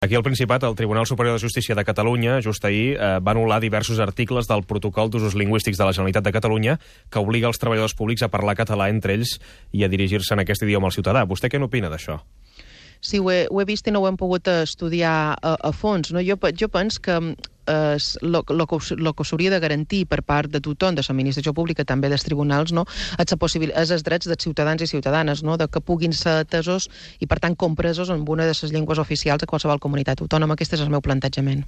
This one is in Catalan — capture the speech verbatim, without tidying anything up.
Aquí al Principat, el Tribunal Superior de Justícia de Catalunya, just ahir, eh, va anul·lar diversos articles del Protocol d'Usos Lingüístics de la Generalitat de Catalunya que obliga els treballadors públics a parlar català entre ells i a dirigir-se en aquest idioma al ciutadà. Vostè què n'opina d'això? Sí, ho he, ho he vist i no ho hem pogut estudiar a, a fons. No? Jo, jo penso que el eh, que s'hauria de garantir per part de tothom, de l'administració pública, també dels tribunals, no? és, és els drets dels ciutadans i ciutadanes, no? de que puguin ser atesos i, per tant, compresos en una de les llengües oficials de qualsevol comunitat autònoma. Aquest és el meu plantejament.